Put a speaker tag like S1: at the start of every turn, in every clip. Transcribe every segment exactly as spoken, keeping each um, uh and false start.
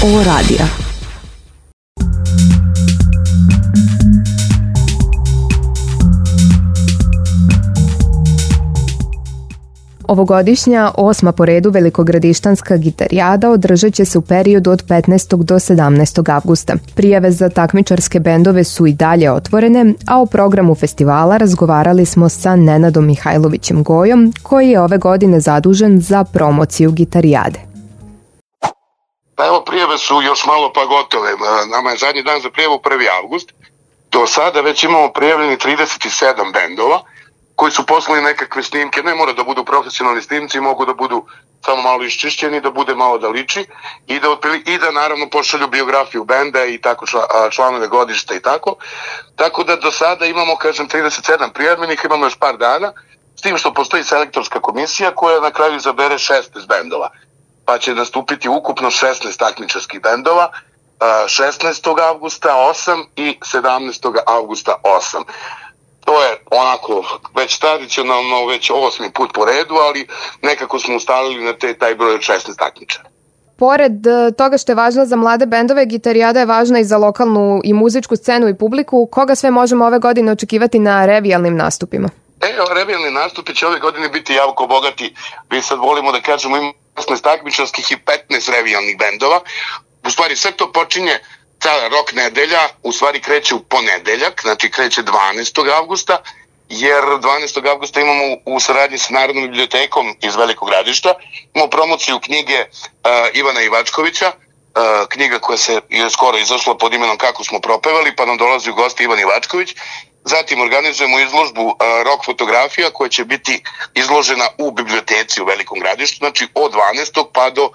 S1: Ovo radija. Ovogodišnja osma po redu velikogradištanska gitarijada održat će se u periodu od petnaestog do sedamnaestog avgusta. Prijave za takmičarske bendove su i dalje otvorene, a o programu festivala razgovarali smo sa Nenadom Mihajlovićem Gojom, koji je ove godine zadužen za promociju gitarijade.
S2: Pa evo, prijave su još malo pa gotove. Nama je zadnji dan za prijavu prvi avgust. Do sada već imamo prijavljeni trideset sedam bendova koji su poslali nekakve snimke. Ne mora da budu profesionalni snimci, mogu da budu samo malo iščišćeni, da bude malo da liči i da, i da naravno pošalju biografiju benda i tako članove godišta i tako. Tako da do sada imamo, kažem, trideset sedam prijavljenih, imamo još par dana, s tim što postoji selektorska komisija koja na kraju izabere šesnaest bendova. Pa će nastupiti ukupno šesnaest takmičarskih bendova, šesnaestog avgusta osam i sedamnaestog avgusta osam. To je onako već tradicionalno, već osmi put po redu, ali nekako smo ustalili na te, taj broj od šesnaest takmičara.
S3: Pored toga što je važna za mlade bendove, gitarijada je važna i za lokalnu i muzičku scenu i publiku. Koga sve možemo ove godine očekivati na revijalnim nastupima?
S2: E, revijalni nastupi će ove godine biti jako bogati. Mi sad volimo da kažemo ima šesnaest takmičarskih i petnaest revijalnih bendova. U stvari sve to počinje, ta rock nedelja u stvari kreće u ponedeljak, znači kreće dvanaestog avgusta, jer dvanaestog avgusta imamo u saradnji sa Narodnom bibliotekom iz Velikog Gradišta, imamo promociju knjige uh, Ivana Ivačkovića, uh, knjiga koja se je skoro izašla pod imenom Kako smo propevali, pa nam dolazi u gosti Ivan Ivačković. Zatim organizujemo izložbu uh, rock fotografija koja će biti izložena u biblioteci u Velikom Gradištu, znači od dvanaestog pa do,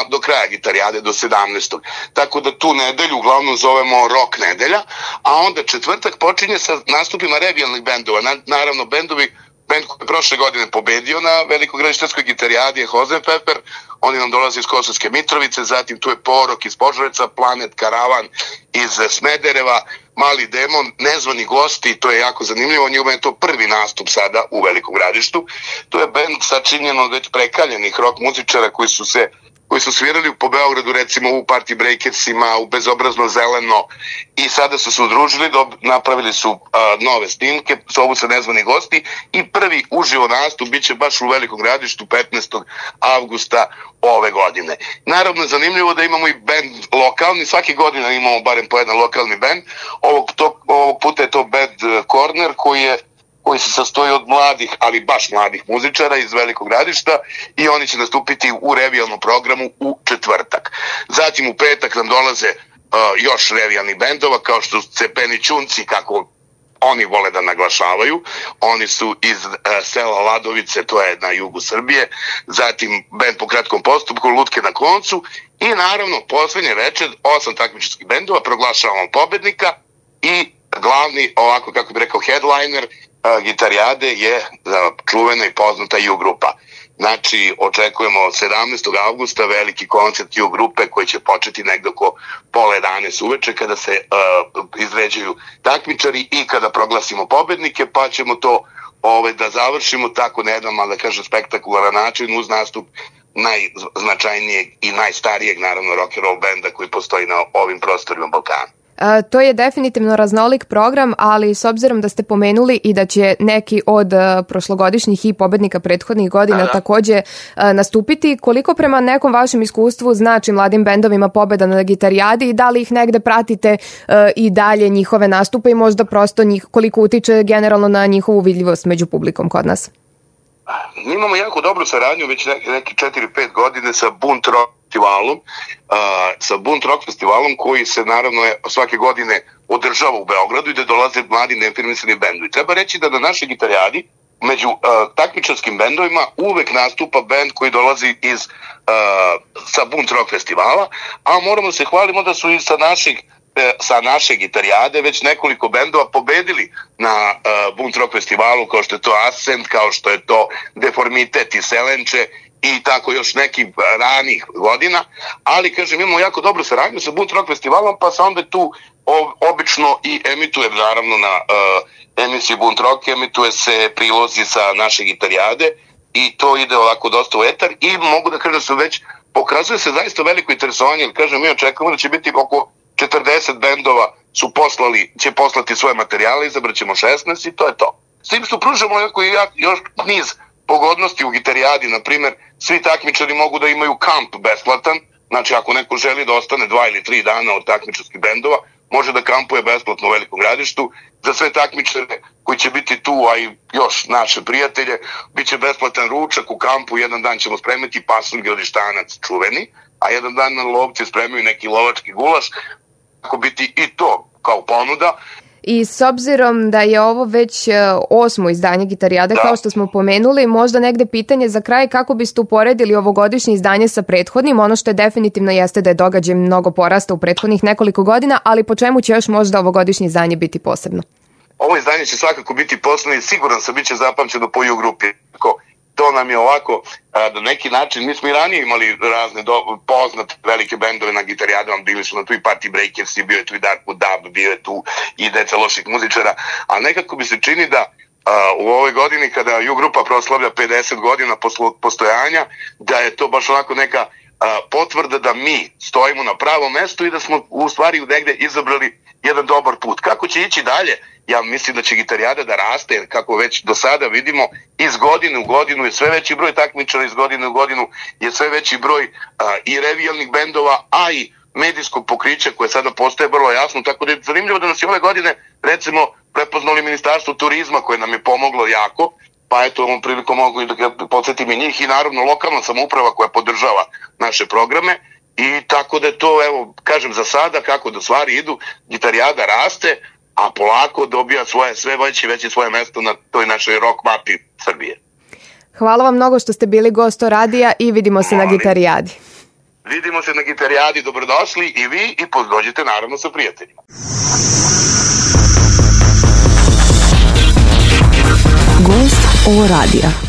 S2: do kraja gitarijade, do sedamnaestog. Tako da tu nedelju uglavnom zovemo rock nedelja, a onda četvrtak počinje sa nastupima revijalnih bendova. Na, naravno, bendovi, bend koji je prošle godine pobedio na Velikogradištanskoj gitarijadi je Hozenpfeffer, oni nam dolaze iz Kosovske Mitrovice, zatim tu je Porok iz Požarevca, Planet Karavan iz Smedereva, Mali demon, nezvani gosti, to je jako zanimljivo, njima je to prvi nastup sada u Velikom Gradištu. To je bend sačinjen od već prekaljenih rock muzičara koji su se koji su svirali po Beogradu, recimo u Party Breakersima, u Bezobrazno zeleno, i sada su se udružili, napravili su uh, nove snimke, zovu se Nezvani gosti, i prvi uživo nastup bit će baš u Velikom Gradištu petnaestog avgusta ove godine. Naravno, zanimljivo da imamo i bend lokalni, svake godine imamo barem po jedan lokalni bend, ovog, to, ovog puta je to Bad Corner koji je koji se sastoji od mladih, ali baš mladih muzičara iz Velikog Gradišta, i oni će nastupiti u revijalnom programu u četvrtak. Zatim u petak nam dolaze uh, još revijalnih bendova, kao što su Cepeni Čunci, kako oni vole da naglašavaju. Oni su iz uh, sela Ladovice, to je na jugu Srbije. Zatim bend Po kratkom postupku, Lutke na koncu. I naravno, poslednje večer, osam takmičarskih bendova, proglašavamo pobednika i glavni, ovako kako bi rekao, headliner uh, gitarijade je uh, čuvena i poznata U grupa. Znači, očekujemo sedamnaestog avgusta veliki koncert U grupe koji će početi negdje oko pola jedanaest uveče kada se uh, izređuju takmičari i kada proglasimo pobednike, pa ćemo to ove, da završimo tako na jedan, da kažem, spektakularan način uz nastup najznačajnijeg i najstarijeg, naravno, rock and roll benda koji postoji na ovim prostorima Balkana.
S3: A, to je definitivno raznolik program, ali s obzirom da ste pomenuli i da će neki od a, prošlogodišnjih i pobednika prethodnih godina da, da. takođe a, nastupiti, koliko prema nekom vašem iskustvu znači mladim bendovima pobeda na gitarijadi i da li ih negde pratite a, i dalje njihove nastupe i možda prosto njih, koliko utiče generalno na njihovu vidljivost među publikom kod nas?
S2: Mi imamo jako dobru saradnju već neki, neki četiri pet godine sa Bunt Rock festivalom, uh, sa Bunt Rock festivalom koji se naravno je, svake godine održava u Beogradu i da dolaze mladi neafirmisani bendovi. Treba reći da na našoj gitarijadi među uh, takmičarskim bendovima uvek nastupa bend koji dolazi iz uh, sa Bunt Rock festivala, a moramo se hvalimo da su i sa naših sa naše gitarijade već nekoliko bendova pobedili na uh, Bunt Rock festivalu, kao što je to Ascent, kao što je to Deformitet i Selenče i tako još nekih ranih godina, ali kažem, imamo jako dobru saradnju sa Bunt Rock festivalom, pa se onda tu obično i emituje, naravno na uh, emisiji Bunt Rock emituje se prilozi sa naše gitarijade i to ide ovako dosta u etar i mogu da kažem da su već pokazuje se zaista veliko interesovanje, jer kažem, mi očekujemo da će biti oko četrdeset bendova su poslali, će poslati svoje materijale, izabrat ćemo šesnaest i to je to. S tim što pružamo još niz pogodnosti u gitarijadi, na primjer, svi takmičari mogu da imaju kamp besplatan, znači ako neko želi da ostane dva ili tri dana od takmičarskih bendova, može da kampuje besplatno u Velikom Gradištu. Za sve takmičare koji će biti tu, a i još naše prijatelje, bit će besplatan ručak u kampu, jedan dan ćemo spremiti pasulj gradištanac čuveni, a jedan dan na lovci spremaju neki lovački gulaš, tako biti i to kao ponuda.
S3: I s obzirom da je ovo već osmo izdanje Gitarijade, da. Kao što smo pomenuli, možda negde pitanje za kraj, kako biste uporedili ovogodišnje izdanje sa prethodnim? Ono što je definitivno jeste da je događaj mnogo porasta u prethodnih nekoliko godina, ali po čemu će još možda ovogodišnje izdanje biti posebno?
S2: Ovo izdanje će svakako biti posebno i siguran sam bit će zapamćeno po U-grupi. To nam je ovako, na neki način, mi smo i ranije imali razne do, poznate velike bendove na Gitarijadama, bili su na tu i Party Breakersi, bio je tu i Darkwood Dub, bio je tu i deca loših muzičara, a nekako mi se čini da a, u ovoj godini kada U-grupa proslavlja pedeset godina poslo, postojanja, da je to baš onako neka a, potvrda da mi stojimo na pravom mestu i da smo u stvari negde izabrali jedan dobar put. Kako će ići dalje? Ja mislim da će Gitarijada da raste, jer kako već do sada vidimo, iz godine u godinu je sve veći broj takmičara, iz godine u godinu je sve veći broj a, i revijalnih bendova, a i medijskog pokrića koje sada postaje vrlo jasno, tako da je zanimljivo da nas je ove godine, recimo, prepoznali Ministarstvo turizma koje nam je pomoglo jako, pa eto ovom prilikom mogu da podsjetim i njih i naravno lokalna samouprava koja podržava naše programe. I tako da je to, evo, kažem za sada, kako da stvari idu, Gitarijada raste, a polako dobija svoje, sve veće i veće svoje mesto na toj našoj rock mapi Srbije.
S3: Hvala vam mnogo što ste bili gost radija i vidimo se Molim. na Gitarijadi.
S2: Vidimo se na Gitarijadi, dobrodošli i vi i dođite naravno sa prijateljima.
S4: Gost O radija.